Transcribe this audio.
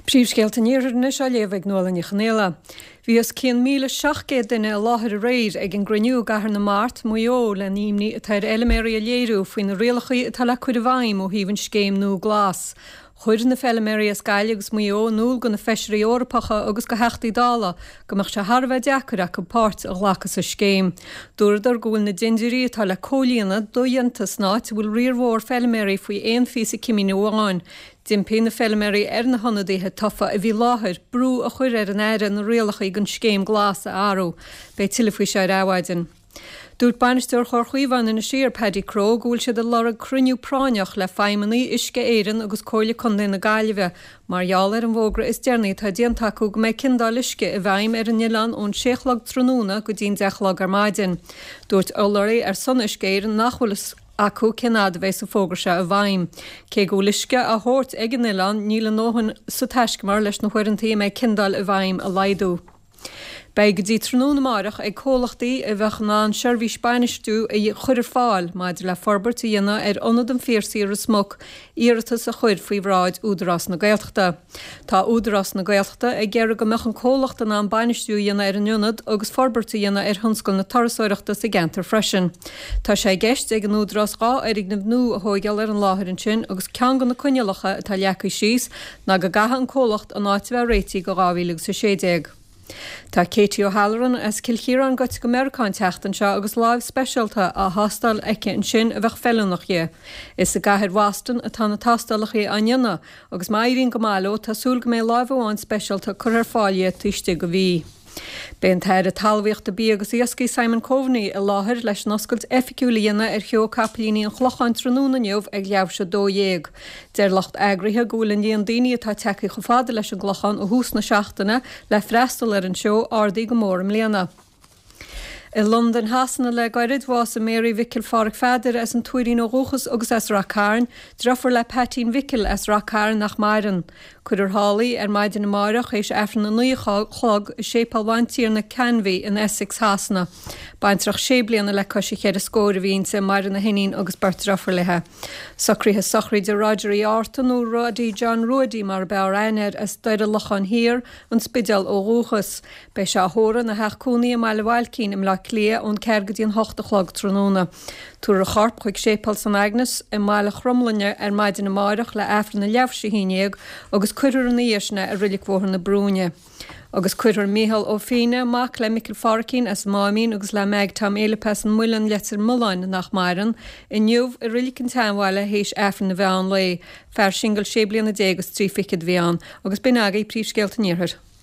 Príomhscéalta an Iarthair anois á léamh ag Nuala Ní Chonaola. Bhí os cionn 1,700 duine i láthair aréir ag an gcruinniú i gCathair na Mart, Maigh Eo, le n-imní atá ar fheiliméaraí a léiriú faoi na rialacha atá le cur i bhfeidhm ó thaobh an scéim nua glas. Chuir na feiliméaraí as Gaillimh agus Maigh Eo in iúl go na feisirí Eorpacha agus go Theachtaí Dála go mbeadh sé thar a bheith deacair acu páirt a ghlacadh sa scéim. Dúradar go bhfuil na dindiúirí atá le comhlíonadh dodhéanta san áit a bhfuil riar mhór feiliméaraí faoi aon phíosa cimín amháin. D'impigh na feiliméaraí ar na hionadaithe tofa a bhí i láthair brú a chur ar an Aire na rialacha don scéim glas a athrú. Beidh tuilleadh faoi seo ar Adhmhaidin. Dúirt bainisteoir Chomhar Chaomháin Inis Oírr, Paddy Crowe, go bhfuil siad ag lorg cruinniú práinneach le feidhmeannaigh Uisce Éireann agus Comhairle Contae na Gaillimhe mar gheall ar an bhfógra is deireanaí atá déanta acu go mbeidh ciondáil uisce i bhfeidhm ar an oileán ón sé a chlog tráthnóna go dtí'n 10 a chlog ar maidin. Dúirt urlabhraí ar son Uisce Éireann nach bhfuil fhios acu cén fhad a bheidh an fógra seo i bhfeidhm. Cé go bhfuil uisce á thabhairt ag an oileán, níl a ndóthain sa taiscumar leis na huaireanta a mbeidh ciondáil i bhfeidhm a laghdú. Beidh go dtí tráthnóna amáireach ag comhlachtaí a bheadh in ann seirbhís bainistiú a chur ar fáil maidir le forbairt a dhéanamh ar Ionad an Phiarsaigh i Ros Muc iarratas a chur faoi bhráid Údarás na Gaeltachta. Tá Údarás na Gaeltachta ag iarraidh go mbeadh an comhlacht in ann bainistiú a dhéanamh ar an ionad agus forbairt a dhéanamh ar thionscal na turasóireachta sa gceantar freisin. Tá sé i gceist ag an Údarás 2 fhoirgneamh nua a thóigeáil ar an láthair ansin agus ceann de na coinníollacha atá leagtha síos ná go gcaithfidh an comhlacht an áit a bheith réitithe go 2016. Tá Katie O'Halloran as Cill Chiaráin gaibhte go Meiriceá an tseachtain seo agus láimh speisialta á thástáil aici ansin a bheadh feiliúnach di. Is i gcathair Bhoston atá na tástálacha á ndéanamh agus má éiríonn go maith leo tá súil go mbeidh láimh amháin speisialta curtha ar fáil di taobh istigh de mhí. Beidh an tAire Talmhaíochta, Bia agus Iascaigh Simon Coveney i láthair leis an oscailt oifigiúil a dhéanamh ar Sheó Capaillíní an Chlocháin tráthnóna inniu ag leathuair tar éis 12. Deir lucht eagraithe go bhfuil an líon daoine atá tagtha chomh fada leis an gClochán ó thús na seachtaine le freastal ar an seó ardaithe go mór i mbliana. I Londain Shasana le gairid, bhásaigh Mary Mhicil Pháraic Pheadair as an Tuairín ó dhúchas agus as Rath Cairn, driofúr le Peaitín Mhicil as Rath Cairn nach maireann. Cuirfear thall í ar maidin amáireach théis Aifreann 9 a chlog i Séipéal Bhantiarna Canvey in Essex Shasana. Baintreach sé bliana le cois a cheithre scóir a bhí inti, maireann a hiníon agus beirt driofúr léi. Socruithe sochraide Roger Uí Árta nó Roddy John Ruaidí mar ab fhearr aithne air as Doire Locháin Thiar, An Spidéal ó dhúchas. Beidh sé á thórramh ina theach cónaí i mBaile Bhailcín i mBleá Cliath ón ceathair go dtí an hocht a chlog tráthnóna. Tabharfar a chorp chuig Séipéal San Agnes i mBaile Chromghlinne ar maidin amáireach le Aifreann a leathuair tar éis a haon dhéag agus cuirfear ina dhiaidh sin é i Reilig Bhóthar na Brúinne. Agus cuirfear Mícheál Ó Fiaine, mac le Micil Pháraichín as an Máimín agus le Meaig Tom Fhéilip as an Muileann, Leitir Mealláin, nach maireann, inniu i Reilig an tSeanbhaile théis Aifreann an mheán lae. Fear singil sé bliana déag is 30 a bhí ann. Agus b'in agaibh príomhscéalta an Iarthair.